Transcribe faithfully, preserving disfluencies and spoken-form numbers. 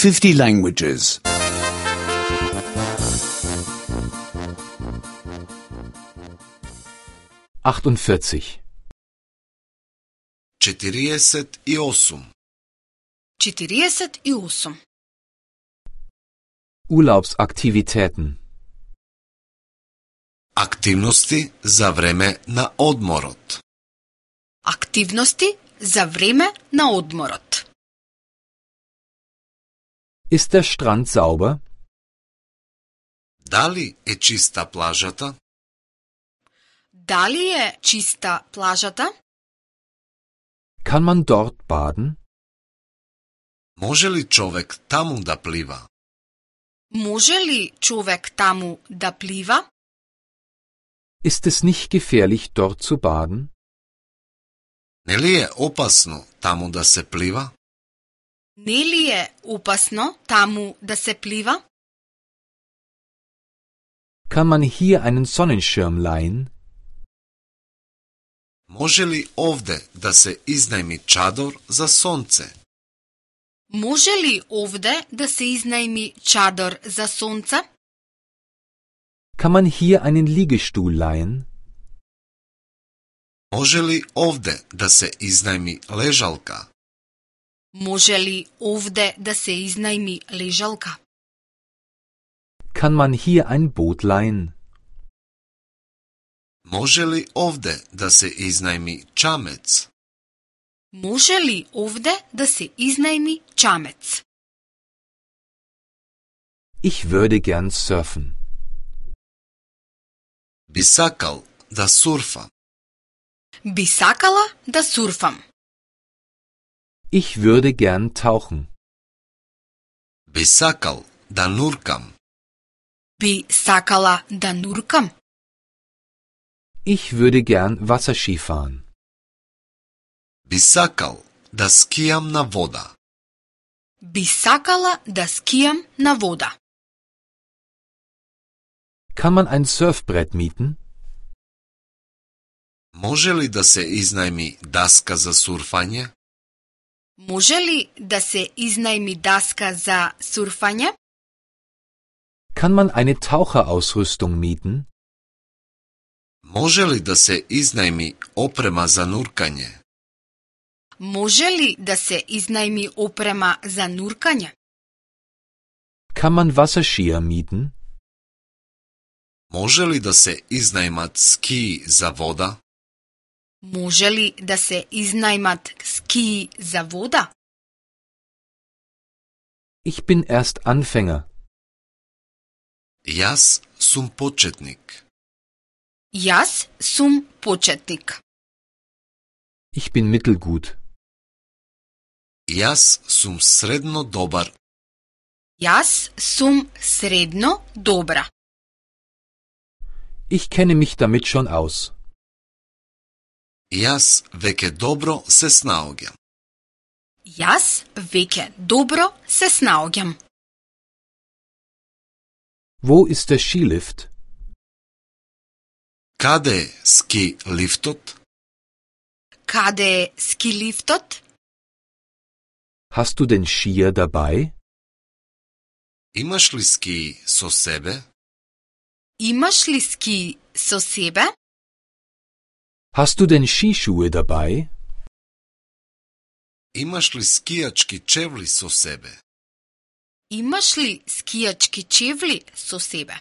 fifty languages. achtundvierzig. четириесет и осум. четириесет и осум. Urlaubsaktivitäten. Активности за време на одморот. Активности за време на одморот. Ist der Strand sauber? Дали е чиста плажата? Дали е чиста плажата? Kann man dort baden? Може ли човек таму да плива? Може ли човек таму да плива? Ist es nicht gefährlich, dort zu baden? Не ли е опасно таму да се плива? Не ли е опасно таму да се плива? Kann man hier einen Sonnenschirm leihen? Може ли овде да се изнајми чадор за сонце? Може ли овде да се изнајми чадор за сонце? Kann man hier einen Liegestuhl leihen? Може ли овде да се изнајми лежалка? Може ли овде да се изнајми лежалка? Kann man hier ein Boot leihen? Може ли овде да се изнајми чамец? Може ли овде да се изнајми чамец? Ich würde gern surfen. Би сакал да сурфа. Би сакала да сурфам. Ich würde gern tauchen. Би сакал да нуркам. Би сакала да нуркам. Ich würde gern Wasserski fahren. Би сакал да скијам на вода. Би сакала да скијам на вода. Kann man ein Surfbrett mieten? Може ли да се изнајми даска за сурфање? Може ли да се изнајми даска за сурфање? Kann man eine Taucherausrüstung mieten? Може ли да се изнајми опрема за нуркање? Може ли да се изнајми опрема за нуркање? Kann man Wasserskier mieten? Може ли да се изнајмат скии за вода? Може ли да се изнајмат скии за вода? Ich bin erst Anfänger. Јас сум почетник. Јас сум почетник. Ich bin mittelgut. Јас сум средно добар. Јас сум средно добра. Ich kenne mich damit schon aus. Јас веќе добро се снаоѓам. Јас веќе добро се снаоѓам. Wo ist der Skilift? Каде е ски лифтот? Каде е скилифтот? Hast du den Skier dabei? Имаш ли ски со себе? Имаш ли ски со себе? Hast du denn Skischuhe dabei? Имаш ли скијачки чевли со себе? Имаш ли скијачки чевли со себе?